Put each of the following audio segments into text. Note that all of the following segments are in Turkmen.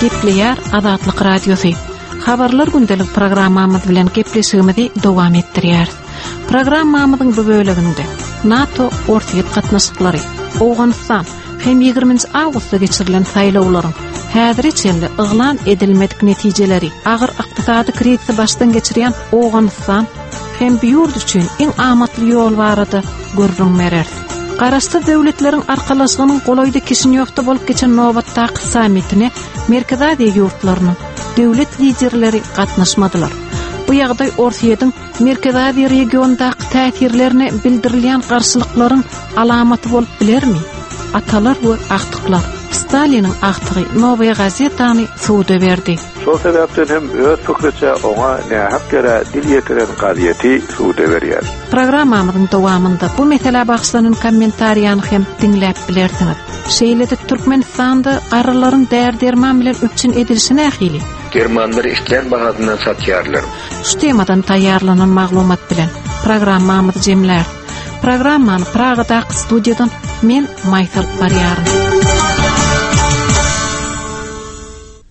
Gepleýär Azatlyk Radiosy. Habarlar gündelik programmamyz bilen gepleşigimizi dowam etdirýäris. Programmamyzyň bu böleginde NATO Orsýet gatnaşyklary, Owganystan hem 20-nji awgustda geçirilen saýlawlaryň häzire çenli yglan edilmedik netijeleri, agyr ykdysady krizisi başdan geçirýän Owganystan hem bu ýurt üçin iň amatly ýol barada gürrüň bereris. Garaşsyz Döwletleriň Arkalaşygynyň golaýda Kişinýowda bolup geçen nobatdaky sammitine Merkezi Aziýa ýurtlarynyň döwlet liderleri gatnaşmadylar. Bu ýagdaý Orsýetiň Merkezi Aziýa regionyndaky täsirlerine bildirilýän garşylyklaryň alamaty bolup bilermi? Atalar we agtyklar. Staliniň agtygy Nowaýa gazetany suda berdi. Şol sebäpden hem öz pikriçe oňa nähak ýere dil ýetiren gazeti suda berýär. Programmamyzyň dowamynda bu meselä bagyşlanan kommentariýany hem diňläp bilersiňiz. Şeýle-de Türkmenistanda garrylaryň däri-derman bilen üpjün edilişi nähili? Dermanlary islän bahasyndan satýarlar. Şu temadan taýýarlanan maglumat bilen programmamyzy jemläris. Programmany Pragadaky studiýadan men Maýsa alyp barýaryn.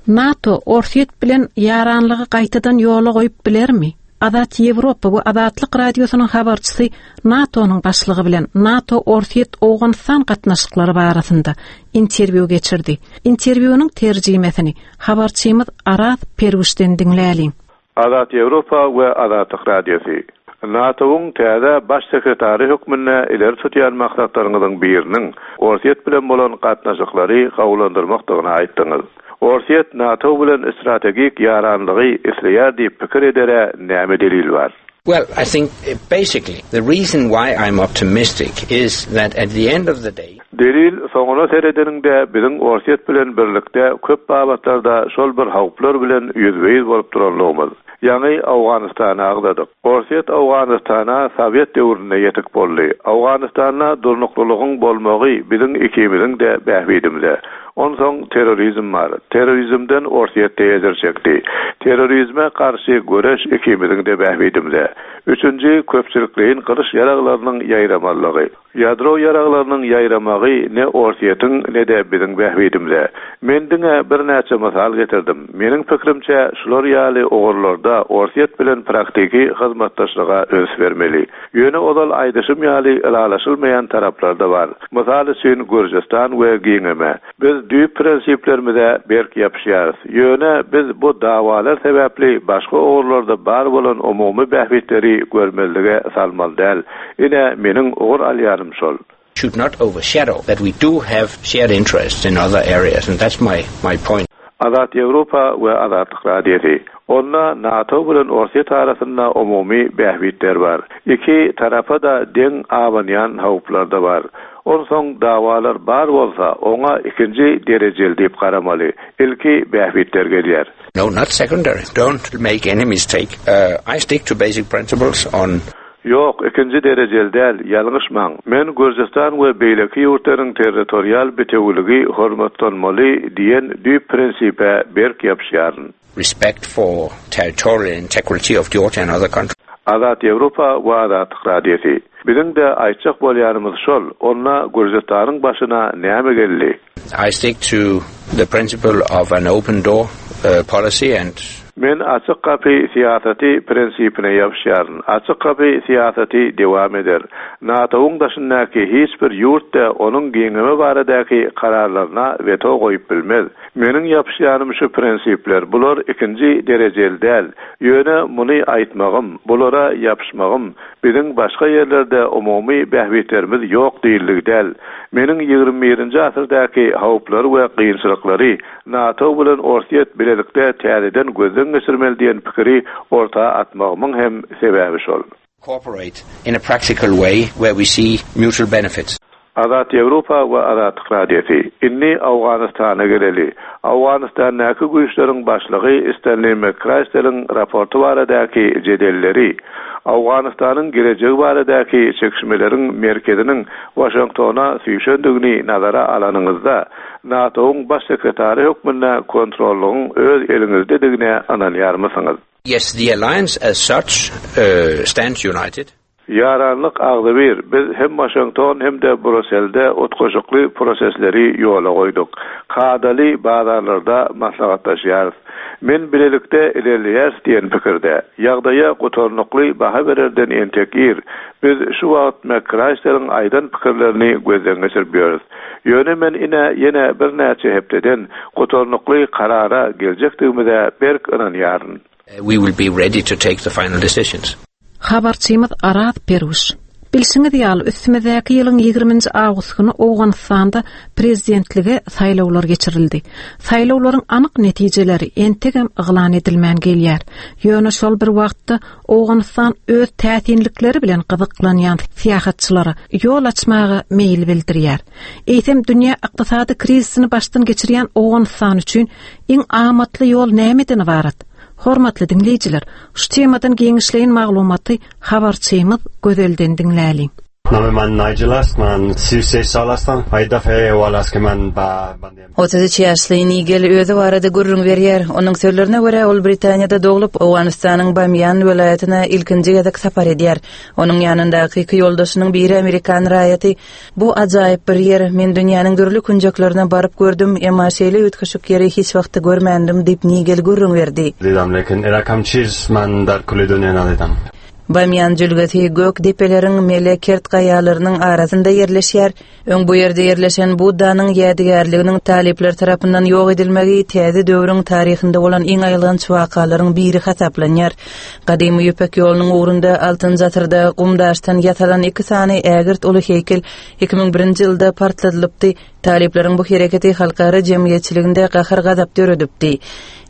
NATO Orsýet bilen ýaranlygy gaýtadan ýola goýup bilermi? Azat Ýewropa we Azatlyk Radiosynyň habarçysy NATO-nyň başlygy bilen NATO-Orsýet-Owganystan gatnaşyklary barasynda interwýu geçirdi. Interwýunyň terjimesini habarçymyz Araz Perwişden diňläliň. Azat Ýewropa we Azatlyk Radiosy, NATO-nyň täze Baş sekretary hökmünde ileri tutýan maksatlaryňyzyň biriniň Orsýet bilen bolan gatnaşyklary gowulandyrmakdygyny aýtdyňyz. Orsýet NATO bilen strategik ýaranlygy isleýär diýip pikir edere näme delil bar? Well, I think basically the reason why I'm optimistic is that at the end of the day, Delil, soňuna seredeniňde biziň Orsýet bilen birlikde köp babatlarda şol bir howplar bilen ýüzbe-ýüz bolup duranlygymyz. Ýaňy Owganystany agzadyk. Orsýet Owganystana sowet döwründe ýetik boldy. Owganystanda durnuklylygyň bolmagy biziň ikimiziň-de bähbidimize. Onsoň terrorizm bar. Terrorizmden Orsýet-de ejir çekdi. Terrorizme garşy göreş ikimiziň-de bähbidimize. Üçünji, köpçülikleýin gyryş ýaraglarynyň ýaýramazlygy. Ýadro ýaraglarynyň ýaýramagy ne Orsýetiň, ne-de biziň bähbidimize. Men diňe birnäçe mysal getirdim. Meniň pikirimçe, şular ýaly ugurlarda Orsýet bilen praktiki hyzmatdaşlyga üns bermeli. Ýöne ozal aýdyşym ýaly ylalaşylmaýan taraplar-da bar. Mysal üçin, Gürjüstan we giňeme. Biz düýp prinsiplerimize berk ýapyşýarys. Ýöne biz bu dawalar sebäpli başga ugurlarda bar bolan umumy bähbitleri görmezlige salmaly däl. Ine, meniň ugur alýanym şol. Should not overshadow that we do have shared interests in other areas and that's my my point. Azat Ýewropa we Azatlyk Radiosy, Onda NATO bilen Orsýet arasynda umumy bähbitler bar. Iki tarapa-da deň abanýan howplar-da bar. Onsoň dawalar bar bolsa, oňa ikinji derejeli diýip garamaly. Ilki bähbitler gelýär. No, not secondary. Don't make any mistake. I stick to basic principles on. Ýok, ikinji derejeli däl, ýalňyşmaň. Men Gürjüstan we beýleki ýurtlaryň territorial bitewiligi hormatlanmaly diýen düýp prinsipe berk ýapyşýaryn. Respect for territorial integrity of Georgia and other countries. Azat Ýewropa we Azatlyk Radiosy. Biziň-de aýtjak bolýanymyz şol, onda Gürjüstanyň başyna näme geldi? I stick to the principle of an open door policy and. Men açyk gapy syýasaty prinsipine ýapyşýaryn. Açyk gapy syýasaty dewam eder. NATO-yň daşyndaky hiç bir ýurt-da onuň giňeme baradaky kararlaryna weto goýup bilmez. Meniň ýapyşýanym şu prinsipler, bular ikinji derejeli däl. Ýöne muny aýtmagym, bulara ýapyşmagym, biziň başga ýerlerde umumy bähbitlerimiz ýok diýildigi däl. Meniň ýigrimi birinji asyrdaky howplary we kynçylyklary NATO bilen Orsýet bilelikde täzeden gözden geçirmeli diýen pikiri orta atmagymyň hem sebäbi şol. Cooperate in a practical way where we see mutual benefits. Azat Ýewropa we Azatlyk Radiosy, Indi Owganystana geleli. Owganystandaky güýçleriň başlygy Stenli McChrystaliň raporty baradaky jedelleri, Owganystanyň gelejegi baradaky çekişmeleriň merkeziniň Waşingtona süýşendigini nazara alanyňyzda, NATO-yň Baş sekretary hökmünde kontrollygyň öz eliňizdedigine ynanýarmysyňyz? Yes, the alliance as such stands united. Ýaranlyk agzybir, biz hem Waşington hem-de Bruselde utgaşykly prosesleri ýola goýduk. Kadaly bazarlarda maslahatlaşýarys. Men bilelikde ilerleýäris diýen pikirde. Ýagdaýa gutarnykly baha bererden entek ir. Biz şu wagt McChrysler-iň aýdan pikirlerini gözden geçirip ýörüs. Ýöne men ine ýene birnäçe hepdeden gutarnykly karara geljekdigimize berk ynanýaryn. We will be ready to take the final decisions. Habarçymyz Araz Perwiş. Bilşiňiz ýaly, üstümizdäki ýylyň ýigriminji awgust güni Owganystanda prezidentlige saýlawlar geçirildi. Saýlawlaryň anyk netijeleri entegem yglan edilmän gelýär. Ýöne şol bir wagtda Owganystan öz täsinlikleri bilen gyzyklanýan syýahatçylara ýol açmaga meýil bildirýär. Eýsem, dünýä ykdysady krizisini başdan geçirýän Owganystan üçin iň amatly ýol nämeden ybarat? Hormatly diňleýjiler, şu temadan giňişleýin maglumaty habarçymyz Gözelden diňläliň. Name man Nigel ast, man 36 sal astam. Ay dafe wal aske man ba 33 ýaşly Nigel özi barada gürrüň berýär. Onuň sözlerine görä, ol Britaniýada doglup, Owganystanyň Bamýan welaýatyna ilkinji gezek sapar edýär. Onuň ýanyndaky iki ýoldaşynyň biri amerikan raýaty. Bu ajaýyp bir ýer. Men dünýäniň dürli künjeklerine baryp gördüm, emma şeýle üýtgeşik ýeri hiç wagtda görmändim, diýip, Nigel gürrüň berdi. Didam, lekin erakam çiz man dar kuli dunýa nadidam. Bamýan jülgesi gök depeleriň mele kert gaýalarynyň arasynda ýerleşýär. Öň bu ýerde ýerleşen Buddanyň ýadygärliginiň talyplar tarapyndan ýok edilmegi täze döwrüň taryhynda bolan iň aýylganç wakalaryň biri hasaplanýar. Gadymy Ýüpek ýolunyň ugrunda altynjy asyrda gum-daşdan ýasalan iki sany ägirt uly heýkel 2001-nji ýylda partladylypdy. Talyplaryň bu hereketi halkara jemgyýetçiliginde gahar-gazap döredipdi.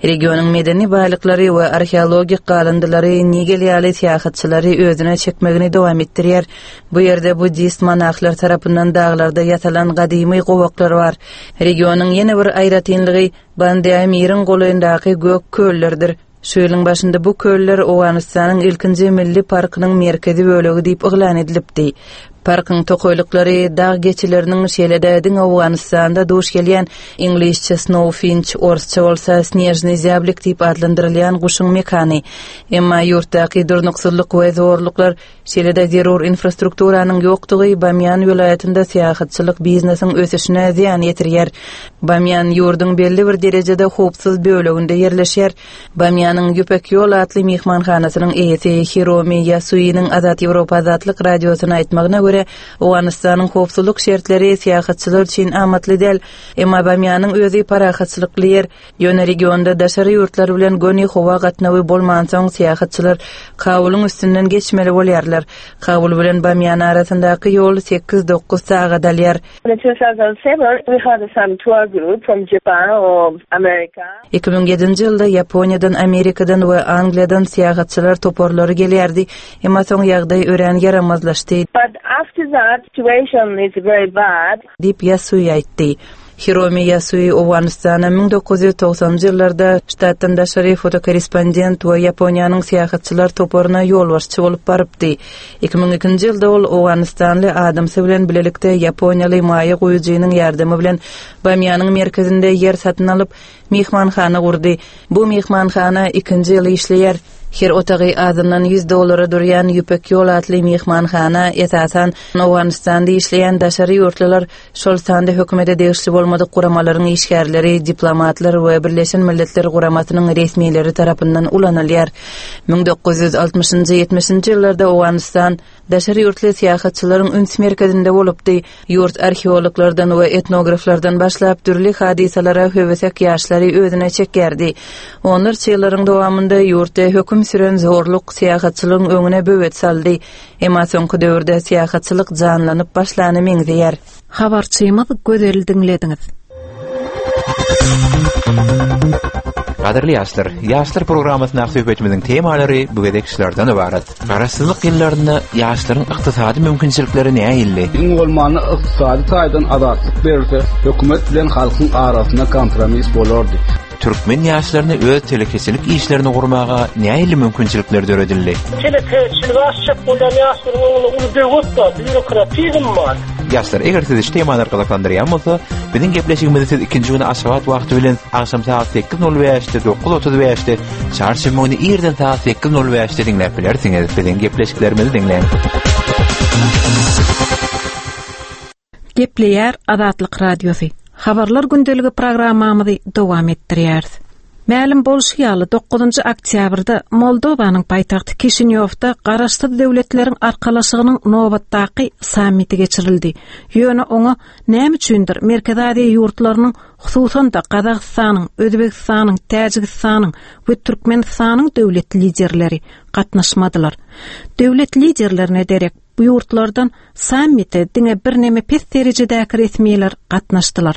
Regionyň medeni baýlyklary we arheologik galyndylary Nigel ýaly syýahatçylary özüne çekmegini dowam etdirýär. Bu ýerde buddist monahlar tarapyndan daglarda ýasalan gadymy gowaklar bar. Regionyň ýene bir aýratynlygy Bandeamiriň golaýyndaky gök köllerdir. Şu ýylyň başynda bu köller Owganystanyň ilkinji milli parkynyň merkezi bölegi diýip yglan edilipdi. Parkyň tokaýlyklary dag geçileriniň şeýle-de diňe Owganystanda duş gelýän iňlisçe snowfinç, orsça bolsa snežnyý zýablik diýip atlandyrylýan guşuň mekany. Emma ýurtdaky durnuksyzlyk we zorluklar Şeýle-de zerur infrastrukturanyň ýokdugy Bamýan welaýatynda syýahatçylyk biznesiň ösüşine zyýan ýetirýär. Bamýan ýurduň belli bir derejede howpsuz böleginde ýerleşýär. Bamýanyň Ýüpek ýol atly myhmanhanasynyň eýesi Hiromi Ýasuiniň Azat Ýewropa Azatlyk Radiosyna aýtmagyna görä, Owganystanyň howpsuzlyk şertleri syýahatçylar üçin amatly däl. Emma Bamýanyň özi parahatçylykly ýer. Ýöne regionda daşary ýurtlar bilen göni howa gatnawy bolmansoň, syýahatçylar Kabulyň üstünden geçmeli bolýarlar. Kabul bilen Bamýan arasyndaky ýol sekiz-dokuz sagat alýar. In 2007, we had some tour group from Japan or America. 2007-nji ýylda Ýaponiýadan, Amerikadan we Angliýadan syýahatçylar toparlary gelýärdi, emma soň ýagdaý örän ýaramazlaşdy. But after that, situation is very bad. Diýip, Ýasui aýtdy. Hiromi Ýasui Owganystana 1990-njy ýyllarda ştatdan daşary fotokorrespondent we Ýaponiýanyň syýahatçylar toparyna ýolbaşçy bolup barypdy. 2002-nji ýylda ol owganystanly adamsy bilen bilelikde ýaponiýaly maýa goýujynyň ýardamy bilen Bamýanyň merkezinde ýer satyn alyp, myhmanhana gurdy. Bu myhmanhana ikinji ýyl işleýär. Her otagy azyndan ýüz dollara durýan Ýüpek ýol atly myhmanhana, esasan, Owganystanda işleýän daşary ýurtlular, şol sanda hökümete degişli bolmadyk guramalaryň işgärleri, diplomatlar we Birleşen Milletler Guramasynyň resmileri tarapyndan ulanylýar. 1960-njy, ýetmişinji ýyllarda Owganystan daşary ýurtly syýahatçylaryň üns merkezinde bolupdy. Ýurt arheologlardan we etnograflardan başlap dürli hadysalara höwesek ýaşlary özüne çekýärdi. Onlarça ýyllaryň dowamynda ýurtda höküm süren zorluk syýahatçylygyň öňüne böwet saldy. Emma soňky döwürde syýahatçylyk janlanyp başlana meňzeýär. Habarçymyz Gözeli diňlediňiz. Gadyrly ýaşlar, Ýaşlar programmasyndaky söhbetimiziň temalary bu gezek şulardan ybarat. Garaşsyzlyk ýyllarynda ýaşlaryň ykdysady mümkinçilikleri nähildi? Iň bolmanda ykdysady taýdan azatlyk berilse, hökümet bilen halkyň arasynda kompromis bolardy. Türkmen ýaşlaryna öz telekeçilik işlerini gurmaga nähili mümkinçilikler döredildi? Telekeçiligi açjak bolýan ýaşlaryň öňünde uly böwet bar, býurokratizm bar. Ýaşlar, eger sizi şu temalar gyzyklandyrýan bolsa, biziň gepleşigimizi siz ikinji güni Aşgabat wagty bilen agşam sagat 8:05-de, 9:35-de, çarşenbe güni irden sagat 8:05-de diňläp bilersiňiz. Biziň gepleşiklerimizi diňläň. Gepleýär Azatlyk Radiosy. Habarlar gündeligi programmamyzy dowam etdirýäris. Mälim bolşy ýaly, dokuzynjy oktýabrda Moldowanyň paýtagty Kişinýowda Garaşsyz Döwletleriň Arkalaşygynyň nobatdaky sammiti geçirildi. Ýöne oňa näme üçindir Merkezi Aziýa ýurtlarynyň, hususan-da, Gazagystanyň, Özbegistanyň, Täjigistanyň we Türkmenistanyň döwlet liderleri gatnaşmadylar. Döwlet liderlerine derek Bu ýurtlardan sammite diňe birneme pes derejedäki resmiler gatnaşdylar.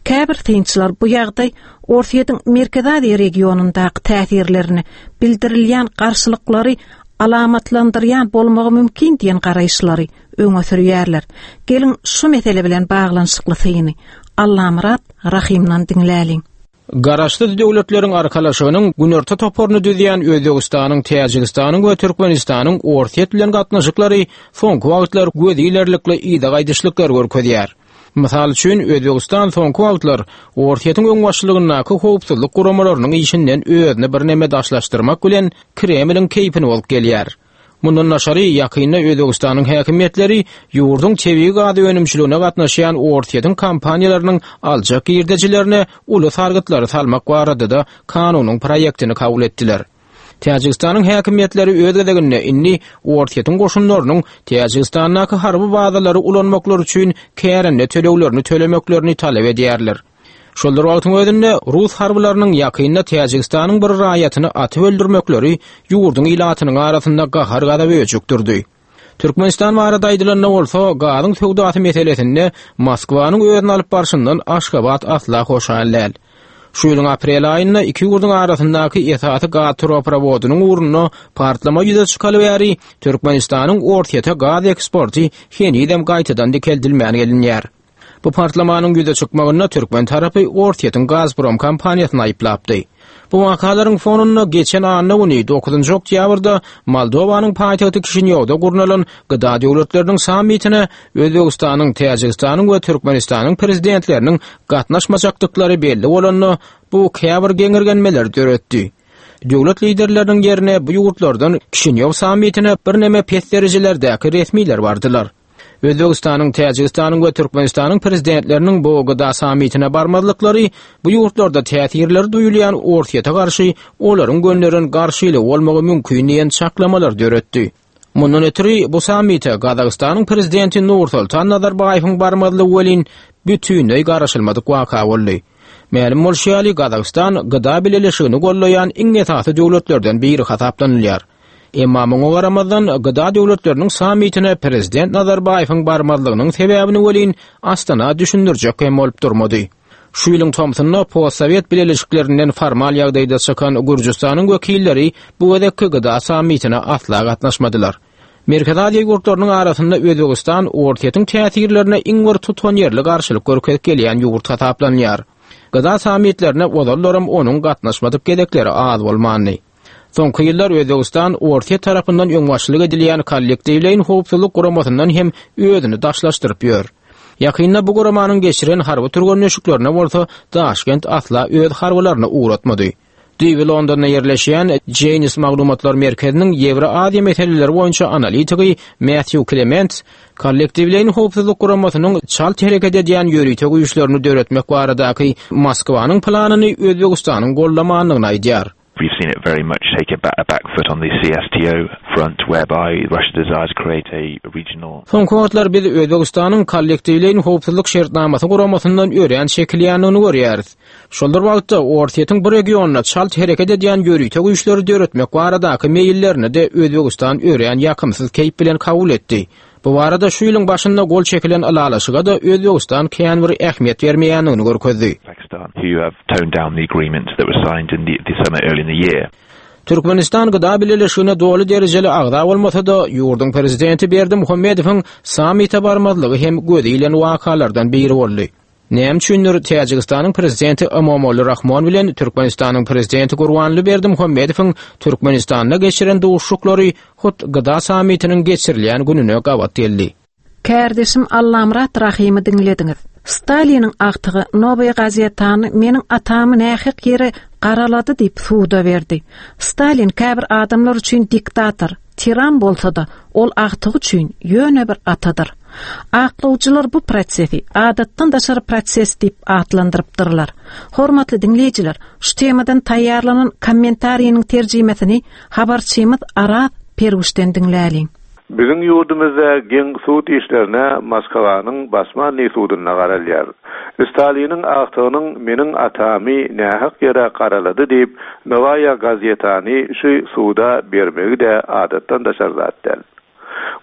Käbir synçylar bu ýagdaý Orsýetiň Merkezi Aziýa regionyndaky täsirlerine bildirilýän garşylyklary alamatlandyrýan bolmagy mümkin diýen garaýyşlary öňe sürýärler. Geliň, şu mesele bilen baglanyşykly syny Allamyrat Rahymdan diňläliň. Garaşsyz Döwletleriň Arkalaşygynyň Günorta toparyny düzýän Özbegistanyň, Täjigistanyň we Türkmenistanyň Orsýet bilen gatnaşyklary soňky wagtlar göz ilerlikli yza gaýdyşlyklar görkezýär. Mysal üçin, Özbegistan soňky wagtlar Orsýetiň öňbaşçylygyndaky howpsuzlyk guramalarynyň işinden özüni birneme daşlaşdyrmak bilen Kremliň keýpini bozup gelýär. Mundan daşary, ýakynda Özbegistanyň häkimiýetleri ýurduň tebigy gaz önümçiligine gatnaşýan Orsýetiň kompaniýalarynyň aljak girdejilerine uly salgytlary salmak barada-da kanunyň proýektini kabul etdiler. Täjigistanyň häkimiýetleri öz gezeginde indi Orsýetiň goşunlarynyň Täjigistandaky harby bazalary ulanmaklary üçin kärende töleglerini tölemeklerini talap edýärler. Şol bir wagtyň özünde, rus harbylarynyň ýakynda Täjigistanyň bir raýatyny atyp öldürmekleri ýurduň ilatynyň arasynda gahar-gazaby öjükdirdi. Türkmenistan barada aýdylanda bolsa, gazyň söwdasy meselesinde Moskwanyň özüni alyp barşyndan Aşgabat asla hoşal däl. Şu ýylyň aprel aýynda iki ýurduň arasyndaky esasy gaz turoprowodynyň ugrunda partlama ýüze çykaly bäri Türkmenistanyň Orsýete gaz eksporty henizem gaýtadan dikeldilmän gelinýär. Bu partlamanyň ýüze çykmagynda türkmen tarapy Orsýetiň Gazprom kompaniýasyny aýyplapdy. Bu wakalaryň fonunda geçen anna güni, dokuzynjy oktýabrda Moldowanyň paýtagty Kişinýowda gurnalan GDA döwletleriniň sammitine Özbegistanyň, Täjigistanyň we Türkmenistanyň prezidentleriniň gatnaşmajakdyklary belli bolanda, bu käbir geňirgenmeleri döretdi. Döwlet liderleriniň ýerine bu ýurtlardan Kişinýow sammitine birneme pes derejelerdäki resmiler bardylar. Özbegistanyň, Täjigistanyň we Türkmenistanyň prezidentleriniň bu GDA sammitine barmazlyklary bu ýurtlarda täsirleri duýulýan Orsýete garşy olaryň gönderen garşylygy bolmagy mümkin diýen çaklamalar döretdi. Mundan ötri bu sammite Gazagystanyň prezidenti Nursultan Nazarbaýewiň barmazlygy welin bütinleý garaşylmadyk waka boldy. Mälim bolşy ýaly, Gazagystan GDA bileleşigini gollaýan iň esasy döwletlerden biri hasaplanylýar. Emma muňa garamazdan, GDA döwletleriniň sammitine prezident Nazarbaýewiň barmazlygynyň sebäbini welin Astana düşündirjek hem bolup durmady. Şu ýylyň tomsunda postsowet bileleşiklerinden formal ýagdaýda çykan Gürjüstanyň wekilleri bu gezekki GDA sammitine asla gatnaşmadylar. Merkezi Aziýa ýurtlarynyň arasynda Özbegistan Orsýetiň täsirlerine iň bir tutanýerli garşylyk görkezip gelýän ýurt hasaplanýar. GDA sammitlerine ozallaram onuň gatnaşmadyk gezekleri az bolmandy. Soňky ýyllar Özbegistan Orsýet tarapyndan öňbaşçylyk edilýän Kollektiwleýin howpsuzlyk guramasyndan hem özüni daşlaşdyryp ýör. Ýakynda bu guramanyň geçiren harby türgenleşiklerine bolsa Daşkent asla öz harbylaryny ugratmady. Düýbi Londonda ýerleşýän Janes maglumatlar merkeziniň Ýewroaziýa meseleleri boýunça analitigi Matthew Klements Kollektiwleýin howpsuzlyk guramasynyň çalt hereket edýän ýörite güýçlerini döretmek baradaky Moskwanyň planyny Özbegistanyň goldamandygyny aýdýar. We've seen it very much take a back foot on the CSTO front whereby Russia desires to create a regional. Soňky wagtlar biz Özbegistanyň Kollektiwleýin howpsuzlyk şertnamasy guramasyndan örän çekilýändigini görýäris. Şol bir wagtda, Orsýetiň bu regionda çalt hereket edýän ýörite güýçleri döretmek baradaky meýillerini-de Özbegistan örän ýakymsyz keýp bilen kabul etdi. Bu barada şu ýylyň başynda gol çekilen ylalaşyga-da Özbegistan kän bir ähmiýet bermeýändigini görkezdi. Türkmenistan GDA Bileleşigine doly derejeli agza bolmasa-da, ýurduň prezidenti Berdimuhamedowyň sammite barmazlygy hem göze ilen wakalardan biri boldy. Näme üçindir Täjigistanyň prezidenti Emomali Rahmon bilen Türkmenistanyň prezidenti Gurbanguly Berdimuhamedowyň Türkmenistanda geçiren duşuşyklary hut GDA sammitiniň geçirilýän gününe gabat geldi. Kärdeşim Allamyrat Rahymy diňlediňiz. Staliniň agtygy Nowaýa gazetany meniň atamy nähak ýere garalady diýip suda berdi. Stalin käbir adamlar üçin diktator, tiran bolsa-da, ol agtygy üçin ýöne bir atadyr. Aklawjylar bu prosesi adatdan daşary proses diýip atlandyrypdyrlar. Hormatly diňleýjiler, şu temadan taýýarlanan kommentariniň terjimesini habarçymyz Araz Perwişden diňläliň. Biziň ýurdumyzda geň sud işlerine Moskwanyň Basmannyý sudunda garalýar. Staliniň agtygynyň meniň atamy nähak ýere garalady diýip, Nowaýa gazetany şu suda bermegi-de adatdan daşary zat däl.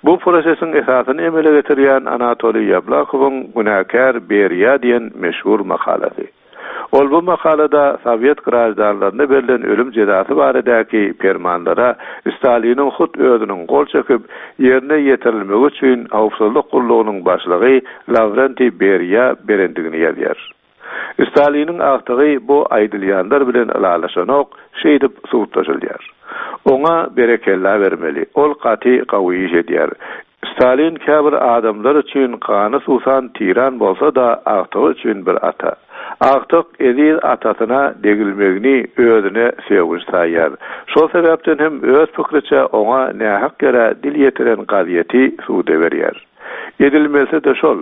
Bu prosesiň esasyny emele getirýän Anatoliý Ýablakowyň Günäkär Beriýa diýen meşhur makalasy. Ol bu makalada sowet graždanlaryna berlen ölüm jezasy baradaky permanlara Staliniň hut özüniň gol çekip, ýerine ýetirilmegi üçin howpsuzlyk gullugynyň başlygy Lawrentiý Beriýa berendigini ýazýar. Staliniň agtygy bu aýdylýanlar bilen ylalaşanok, şeýdip sudlaşylýar. Oňa berekella bermeli, ol gaty gawy iş edýär. Stalin käbir adamlar üçin gany suwsan tiran bolsa-da, agtygy üçin bir ata. Agtyk eziz atasyna degilmegini özüne sögünç saýýar. Şol sebäpden hem öz pikriçe oňa nähak ýere dil ýetiren gazýeti suda berýär. Edilmelisi-de şol,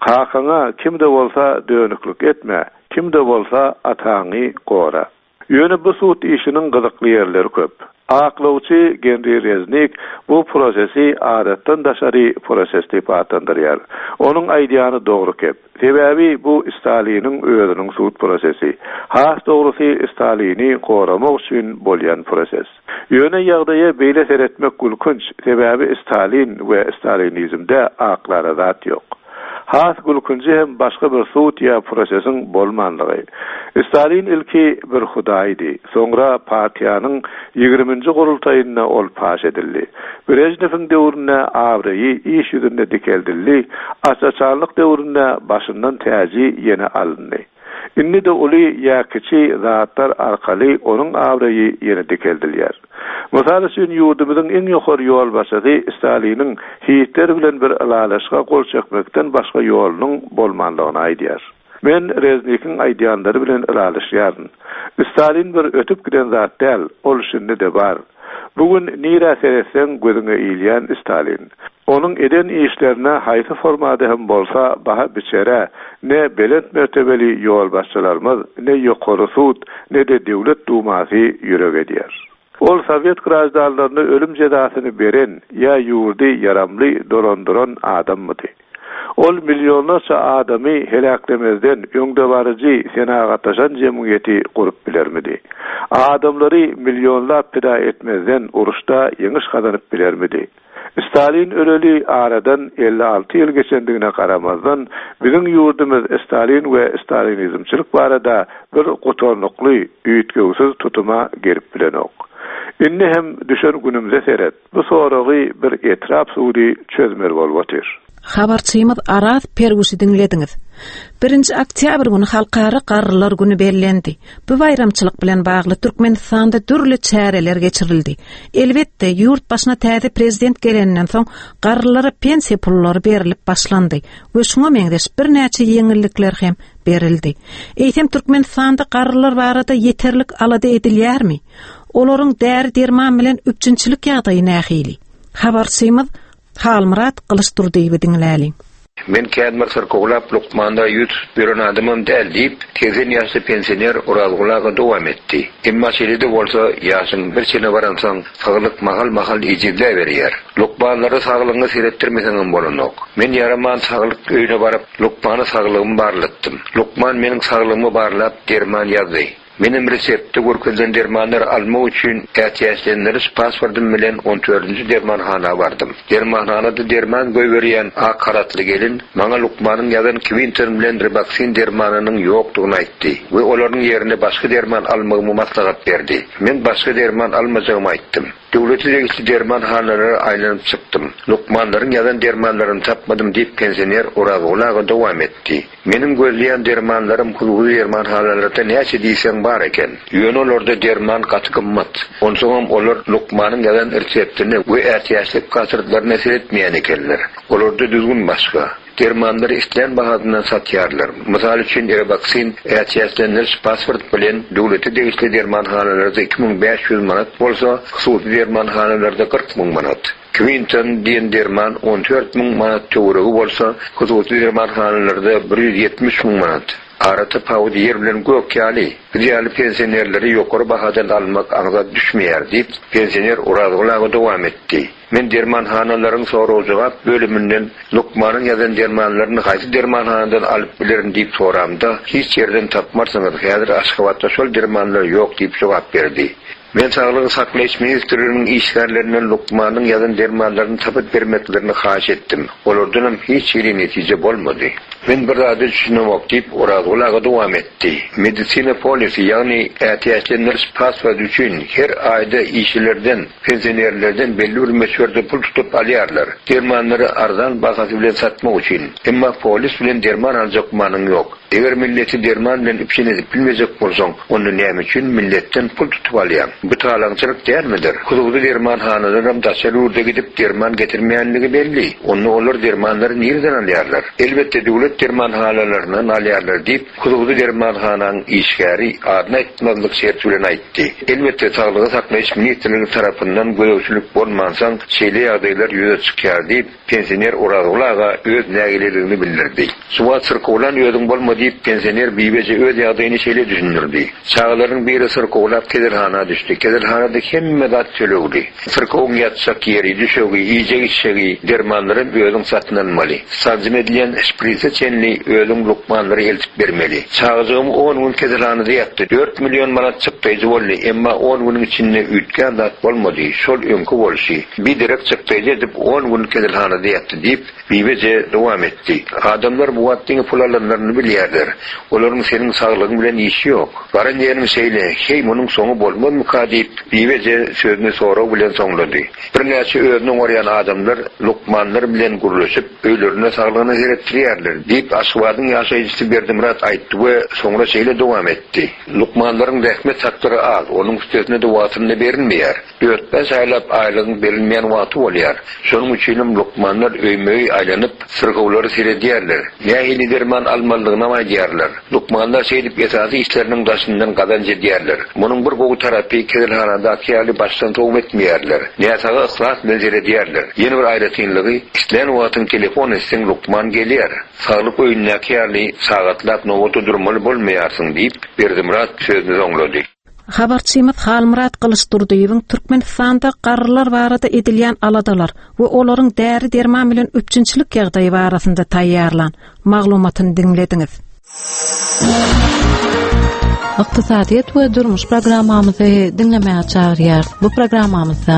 Kakaňa kim-de bolsa dönüklik etme, kim-de bolsa ataňy gora. Ýöne bu sud işiniň gyzykly ýerleri köp. Aklawçy Genri Reznik bu prosesi adatdan daşary proses diýip atlandyrýar. Onuň aýdýany dogry kep. Sebäbi bu Staliniň özüniň sud prosesi. Has dogrusy Stalini goramak üçin bolýan proses. Ýöne ýagdaýa beýle seretmek gülkünç, sebäbi Stalin we stalinizmde aklara zat ýok. Has gülkünji hem başga bir sud ýa prosesiň bolmanlygy. Stalin ilki bir hudaýdy, soňra partiýanyň ýigriminji gurultaýynda ol paş edildi. Brežnewiň döwründe abraýy iş ýüzünde dikeldildi, aç-açanlyk döwründe başyndan täji ýene alyndy. Indi-de uly ýa kiçi zatlar arkaly onuň abraýy ýene dikeldilýär. Mysal üçin, ýurdumyzyň iň ýokary ýolbaşçysy Staliniň Hitler bilen bir ylalaşyga gol çekmekden başga ýolunyň bolmanlygyny aýdýar. Men Reznikiň aýdýanlary bilen ylalaşýaryn. Stalin bir ötüp giden zat däl, ol şindi-de bar. Bu gün nirä seretseň gözüňe ilýän Stalin. Onuň eden işlerine haýsy formada hem bolsa baha biçere ne belent mertebeli ýolbaşçylarymyz, ne Ýokary sud, ne-de Döwlet Dumasy ýürek edýär. Ol sowet graždanlaryna ölüm jezasyny beren ýa ýurdy ýaramly dolandyran adammydy? Ol millionlarça adamy heläklemezden öňdebaryjy senagatlaşan jemgyýeti gurup bilermidi? Adamlary millionlap pida etmezden uruşda ýeňiş gazanyp bilermidi? Stalin öleli aradan 56 ýyl geçendigine garamazdan, biziň ýurdumyz Stalin we stalinizmçilik barada bir gutarnykly, üýtgewsiz tutuma gelip bilenok. Indi hem düşen günümize seret, bu soragy bir etrap sudy çözmeli bolup otyr. Habarçymyz Araz Perwişi diňlediňiz. Birinji oktýabr güni Halkara garrylar güni bellendi. Bu baýramçylyk bilen bagly Türkmenistanda dürli çäreler geçirildi. Elbetde, ýurt başyna täze prezident geleninden soň garrylara pensiýa pullary berlip başlandy we şuňa meňzeş birnäçe ýeňillikler hem berildi. Eýsem, Türkmenistanda garrylar barada ýeterlik alada edilýärmi? Olaryň däri-derman bilen üpjünçilik ýagdaýy nähili? Habarçymyz Halmyrat Gylyçdurdyýewi diňläliň. Men kän bir syrkawlap lukmanda ýüz tutup ýören adamam däl, diýip, 80 ýaşly pensioner Orazguly aga dowam etdi. Emma şeýle-de bolsa, ýaşyň bir çene baransoň, saglyk mahal-mahal ejizläberýär. Lukmanlara saglygyňa seretdirmeseňem bolanok. Men ýaraman saglyk öýüne baryp, lukmana saglygymy barlatdym. Lukman meniň saglygymy barlap, derman ýazdy. Menem reseptde görkezilen dermanlary almak üçin ätiýaçlendiriş pasportym bilen on dördünji dermanhana bardym. Dermanhanada derman goýberýän ak halatly gelin maňa lukmanyň ýazan Kwinton bilen Ribaksin dermanynyň ýokdugyny aýtdy we olaryň ýerine başga derman almagymy maslahat berdi. Men başga derman almajagymy aýtdym. Döwlete degişli dermanhanalara aýlanyp çykdym. Lukmanlaryň ýazan dermanlaryny tapmadym diýip, pensioner Orazguly aga dowam etdi. Meniň gözleýän dermanlarym hususy dermanhanalarda näçe diýseň bar eken. Ýöne olarda derman gaty gymmat. Onsoňam olar lukmanyň ýazan reseptine we ätiýaçlyk pasportlaryna seretmeýän ekenler. Olarda düzgün başga. Dermanlary islän bahasyndan satýarlar. Mysal üçin, Erebaksin ätiýaçlendiriş pasport bilen döwlete degişli dermanhanalarda 2500 manat bolsa, hususy dermanhanalarda 40 müň manat. Kwinton diýen derman 14 müň manat töweregi bolsa, hususy dermanhanalarda 170 müň manat. Ara tapawudy ýer bilen gök ýaly. Biz ýaly pensionerlere ýokary bahadan almak aňsat düşmeýär, diýip, pensioner Orazgul aga dowam etdi. Men dermanhanalaryň sorag-jogap bölüminden lukmanyň ýazan dermanlaryny haýsy dermanhanadan alyp bilerin diýip soramda, hiç ýerden tapmarsyňyz, häzir Aşgabatda şol dermanlar ýok diýip jogap berdi. Men Saglygy saklaýyş ministrliginiň işgärlerinden lukmanyň ýazan dermanlaryny tapyp bermeklerini haýyş etdim. Olardanam hiç hili netije bolmady. Men bir zada düşünemok, diýip, Orazgul aga dowam etdi. Medisina polisi, ýagny ätiýaçlendiriş pasporty üçin her aýda işçilerden, pensionerlerden belli bir möçberde pul tutup alýarlar. Dermanlary arzan bahasy bilen satmak üçin. Emma polis bilen derman aljak manyň ýok. Eger milleti derman bilen üpjün edip bilmejek bolsaň, onda näme üçin milletden pul tutup alýaň? Bu talaňçylyk dälmidir? Hususy dermanhanalaram daşary ýurda gidip derman getirmeýänligi belli. Onda olar dermanlary nireden alýarlar? Elbetde döwlet dermanhanalaryndan alýarlar diýip, hususy dermanhanaň işgäri adyny aýtmazlyk şerti bilen aýtdy. Elbetde Saglygy saklaýyş ministrligi tarapyndan gözegçilik bolmansoň şeýle ýagdaýlar ýüze çykýar diýip, Pensioner Orazguly aga öz nägileligini bildirdi. Şu wagt syrkawlan özüň bolma diýip, pensioner Bibeje öz ýagdaýyny şeýle düşündirdi. Çagalaryň biri syrkawlap keselhana düşdi. Keselhanada hemme zat tölegli. Syrkawyň ýatjak ýeri, düşegi, iýjek-içjegi, dermanlaram özüň satyn almaly. Sanjym edilýän şprise çenli özüň lukmanlara eltip bermeli. Çagajygym on gün keselhanada ýatdy. Dört million manat çykdaýjy boldy, emma on günüň içinde üýtgän zat bolmady, şol öňki bolşy. Biderek çykdaýjy edip on gün keselhanada ýatdy diýip, Bibeje dowam etdi. Adamlar bu wagt diňe pul alanlaryny bilýärler. Olaryň seniň saglygyň bilen işi ýok. Baran ýeriň şeýle, heý munuň soňy bolmazmyka diýip, Bibeje sözüni sorag bilen soňlady. Birnäçe özüni oňarýan adamlar lukmanlar bilen gürleşip, öýlerinde saglygyna seretdirýärler, diýip, Aşgabadyň ýaşaýjysy Berdimyrat aýtdy we soňra şeýle dowam etdi. Lukmanlaryň zähmet haklary az, onuň üstesine-de wagtynda berilmeýär. Dört-bäş aýlap aýlygyň berilmeýän wagty bolýar. Şonuň üçinem lukmanlar öýme-öý aýlanyp, syrkawlara seredýärler. Nähili derman almalydygynam aýdýarlar. Lukmanlar şeýdip esasy işleriniň daşyndan gazanç edýärler. Munuň bir gowy tarapy keselhanadaky ýaly başdan sowma etmeýärler. Näsaga yhlas bilen seredýärler. Ýene bir aýratynlygy, islän wagtyň telefon etseň lukman gelýär. Saglyk öýündäki ýaly sagatlap nobata durmaly bolmaýarsyň diýip, Berdimyrat sözüni soňlady. Habarçymyz Halmyrat Gylyçdurdyýewiň Türkmenistanda garrylar barada edilýän aladalar we olaryň däri-derman bilen üpjünçilik ýagdaýy barasynda taýýarlan maglumatyny diňlediňiz. Ykdysadyýet we durmuş programmamyzy diňlemäge çagyrýarys. Bu programmamyzda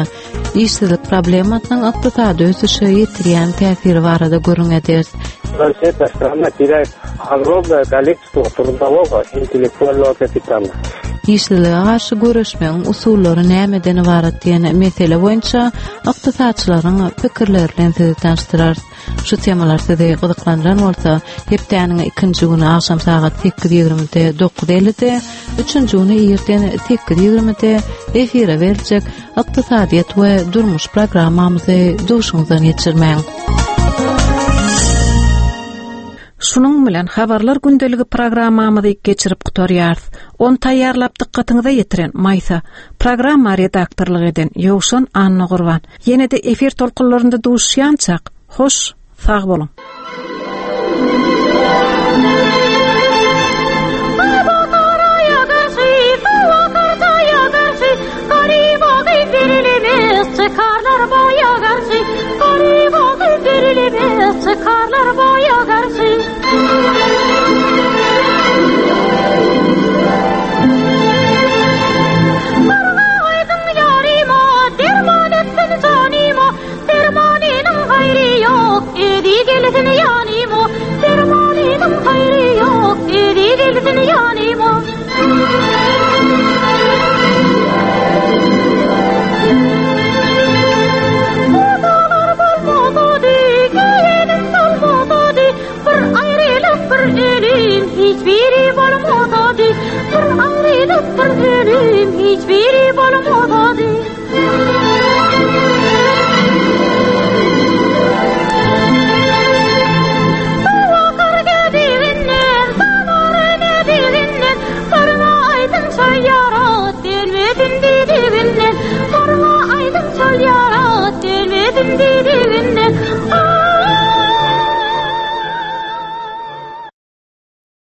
işsizlik problemasynyň ykdysady ösüşe ýetirýän täsiri barada gürrüň ederis. Вообще-то страна теряет огромное количество трудового интеллектуального kapitala. Işsizlige garşy göreşmegiň usullary nämeden ybarat diýen mesele boýunça ykdysatçylaryň pikirleri bilen sizi tanyşdyrarys. Şu temalar sizi gyzyklandyran bolsa, hepdäniň ikinji güni agşam sagat 8:20-de 9:50-de, üçünji güni irden 8:20-de efire beriljek Ykdysadyýet we durmuş programmamyzy duşuňyzdan geçirmäň. Şunuň bilen Habarlar gündeligi programmamyzy geçirip gutarýarys. Ony taýýarlap dykgatyňyza ýetiren Maýsa, programma redaktorlyk eden Ýowşan Annagurban. Ýene-de efir tolkunlarynda duşuşýançak, hoş, sag boluň! Çykarlar boýa garşy Barga aýdyň ýaryma, derman etsin janyma, Dermanynyň haýry ýok, özi gelsin ýanyma, Dermanynyň haýry. Ölüm hiç biri bolmaz.